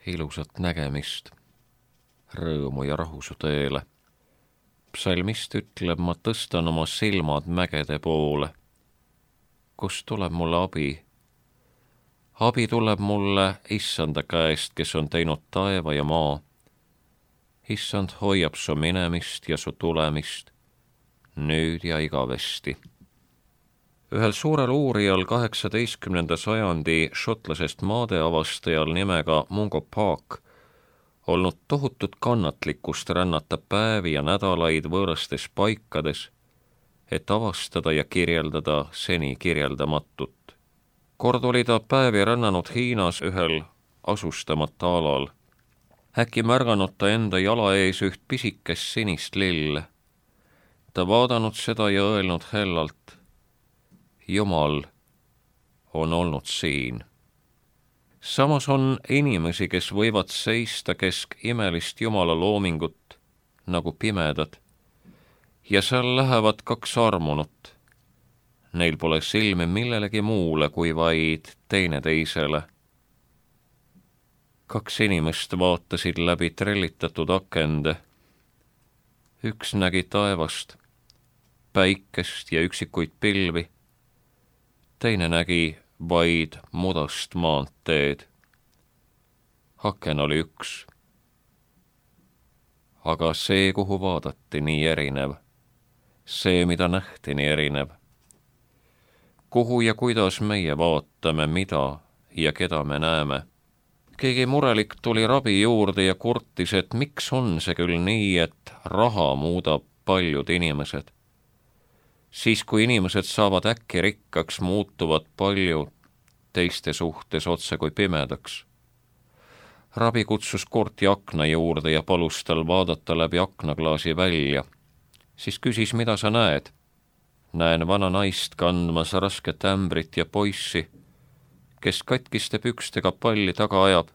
ilusat nägemist, rõõmu ja rahu su teele. Psalmist ütleb, ma tõstan oma silmad mägede poole. Kust tuleb mulle abi? Abi tuleb mulle Issanda käest, kes on teinud taeva ja maa. Issand hoiab su minemist ja su tulemist, nüüd ja igavesti. Ühel suurel uurijal 18. sajandi šotlasest maadeavastajal nimega Mungo Park olnud tohutut kannatlikkust rännata päevi ja nädalaid võõrastes paikades, et avastada ja kirjeldada seni kirjeldamatut. Kord oli ta päevi rännanud Hiinas ühel asustamata alal. Äkki märganud ta enda jala ees üht pisikest sinist lille. Ta vaadanud seda ja öelnud hellalt, Jumal on olnud siin. Samas on inimesi, kes võivad seista kesk imelist Jumala loomingut nagu pimedad, ja seal lähevad kaks armunut. Neil pole silmi millelegi muule kui vaid teineteisele. Kaks inimest vaatasid läbi trellitatud akende. Üks nägi taevast, päikest ja üksikuid pilvi. Teine nägi vaid mudast maanteed. Aken oli üks. Aga see, kuhu vaadati, nii erinev. See, mida nähti, nii erinev. Kuhu ja kuidas meie vaatame, mida ja keda me näeme. Keegi murelik tuli rabi juurde ja kurtis, et miks on see küll nii, et raha muudab paljud inimesed. Siis, kui inimesed saavad äkki rikkaks, muutuvad paljud teiste suhtes otse kui pimedaks. Rabi kutsus kurti akna juurde ja palus tal vaadata läbi aknaklaasi välja. Siis küsis, mida sa näed? Näen vana naist kandmas rasket ämbrit ja poissi, kes katkiste pükstega palli taga ajab.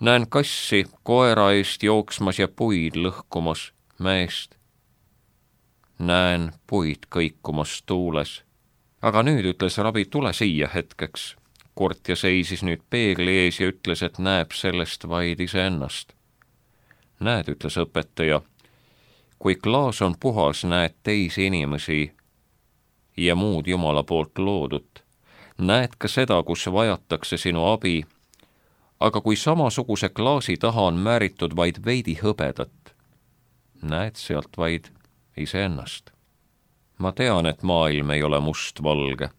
Näen kassi koera eest jooksmas ja puid lõhkumas mäest. Näen puid kõikumas tuules. Aga nüüd, ütles rabi, tule siia hetkeks. Kurtja seisis nüüd peegli ees ja ütles, et näeb sellest vaid iseennast. Näed, ütles õpetaja, kui klaas on puhas, näed teisi inimesi ja muud Jumala poolt loodut. Näed ka seda, kus vajatakse sinu abi, aga kui samasuguse klaasi taha on määritud vaid veidi hõbedat, näed sealt vaid iseennast. Ma tean, et maailm ei ole mustvalge.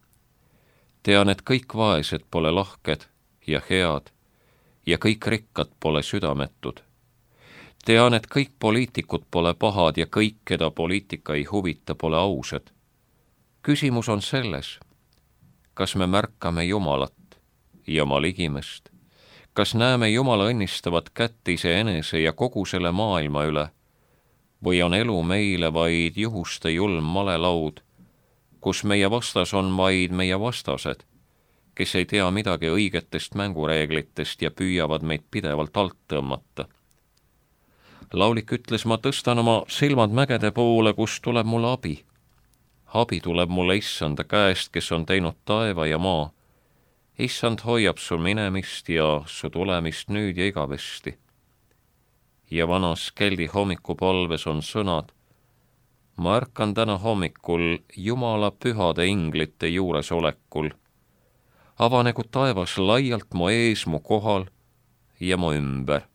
Tean, et kõik vaesed pole lahked ja head ja kõik rikkad pole südametud. Tean, et kõik poliitikud pole pahad ja kõik, keda poliitika ei huvita, pole ausad. Küsimus on selles, kas me märkame Jumalat ja oma ligimest, kas näeme Jumala õnnistavat kätt iseenese ja kogu selle maailma üle, või on elu meile vaid juhuste julm malelaud, kus meie vastas on vaid meie vastased, kes ei tea midagi õigetest mängureeglitest ja püüavad meid pidevalt alt tõmmata. Laulik ütles, ma tõstan oma silmad mägede poole, kus tuleb mulle abi. Abi tuleb mulle Issanda käest, kes on teinud taeva ja maa. Issand hoiab su minemist ja su tulemist nüüd ja igavesti. Ja vanas keldi hommikupalves on sõnad, ma ärkan täna hommikul Jumala pühade inglite juuresolekul. Avanegu taevas laialt mu ees, mu kohal ja mu ümber,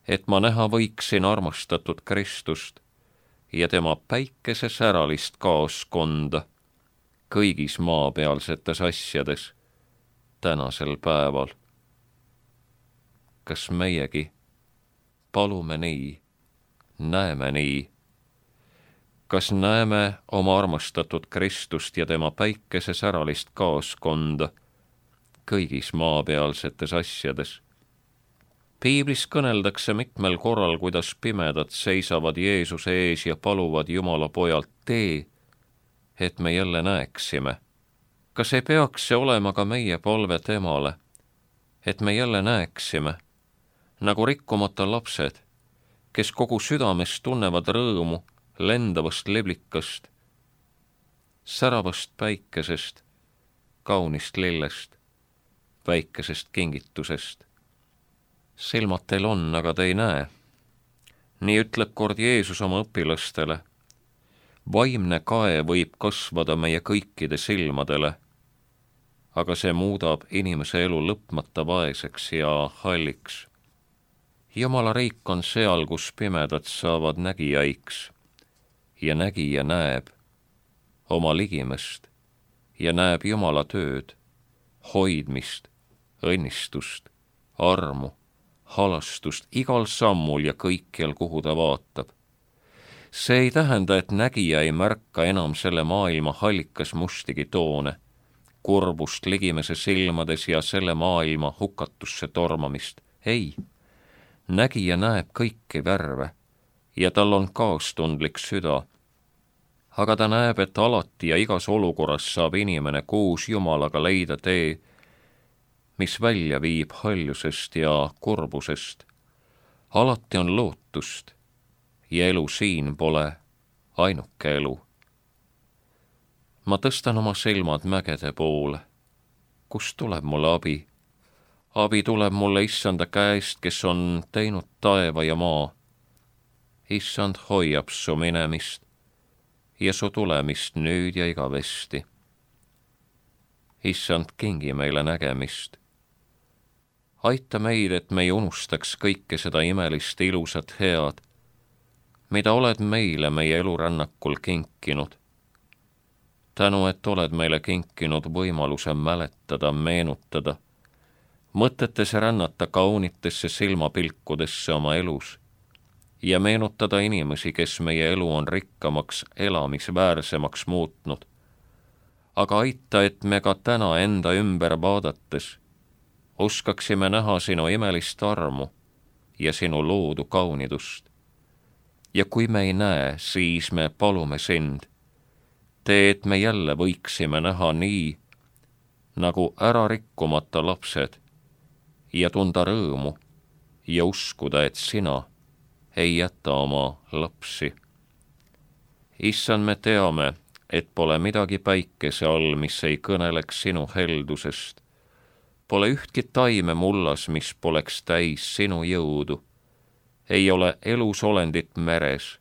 et ma näha võiksin armastatud Kristust ja tema päikese säralist kaoskonda kõigis maapealsetes asjades tänasel päeval. Kas meiegi palume nii, näeme nii? Kas näeme oma armastatud Kristust ja tema päikese säralist kaoskonda kõigis maapealsetes asjades? Piiblis kõneldakse mitmel korral, kuidas pimedad seisavad Jeesuse ees ja paluvad Jumala pojalt tee, et me jälle näeksime. Kas ei peaks see olema ka meie palve temale, et me jälle näeksime, nagu rikkumata lapsed, kes kogu südamest tunnevad rõõmu lendavast leblikast, säravast päikesest, kaunist lillest, väikesest kingitusest. silmad teil on, aga te ei näe. nii ütleb kord Jeesus oma õpilastele. vaimne kae võib kasvada meie kõikide silmadele, aga see muudab inimese elu lõpmata vaeseks ja halliks. Jumala riik on seal, kus pimedad saavad nägijaiks ja nägija näeb oma ligimest ja näeb Jumala tööd, hoidmist, õnnistust, armu, halastust igal sammul ja kõikjal, kuhu ta vaatab. See ei tähenda, et nägija ei märka enam selle maailma hallikas mustigi toone, kurbust ligimese silmades ja selle maailma hukatusse tormamist. Ei, nägija näeb kõiki värve ja tal on kaastundlik süda. Aga ta näeb, et alati ja igas olukorras saab inimene koos Jumalaga leida tee, mis välja viib haljusest ja kurbusest. Alati on lootust ja elu siin pole ainuke elu. Ma tõstan oma silmad mägede poole. Kust tuleb mulle abi? Abi tuleb mulle Issanda käest, kes on teinud taeva ja maa. Issand hoiab su minemist ja su tulemist nüüd ja igavesti. Issand, kingi meile nägemist. Aita meid, et me ei unustaks kõike seda imelist, ilusat, head, mida oled meile meie elurännakul kinkinud. Tänu, et oled meile kinkinud võimaluse mäletada, meenutada, mõtetes rännata kaunitesse silmapilkudesse oma elus ja meenutada inimesi, kes meie elu on rikkamaks, elamisväärsemaks muutnud. Aga aita, et me ka täna enda ümber vaadates oskaksime näha sinu imelist armu ja sinu loodu kaunidust. Ja kui me ei näe, siis me palume sind, tee, et me jälle võiksime näha nii, nagu ära rikkumata lapsed ja tunda rõõmu ja uskuda, et sina ei jäta oma lapsi. Issand, me teame, et pole midagi päikese all, mis ei kõneleks sinu heldusest. Pole ühtki taime mullas, mis poleks täis sinu jõudu. Ei ole elus olendit meres,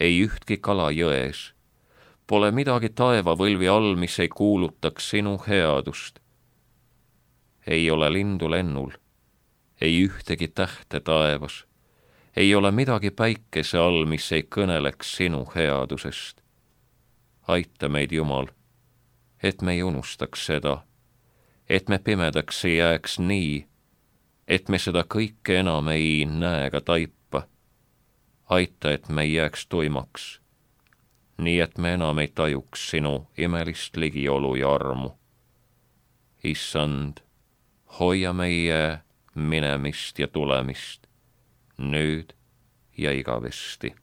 ei ühtki kala jões. Pole midagi taevavõlvi all, mis ei kuulutaks sinu headust. Ei ole lindu lennul, ei ühtegi tähte taevas. Ei ole midagi päikese all, mis ei kõneleks sinu headusest. Aita meid, Jumal, et me ei unustaks seda, et me pimedaks ei jääks nii, et me seda kõike enam ei näe ega taipa. Aita, et me ei jääks tuimaks, nii et me enam ei tajuks sinu imelist ligiolu ja armu. Issand, hoia meie minemist ja tulemist nüüd ja igavesti.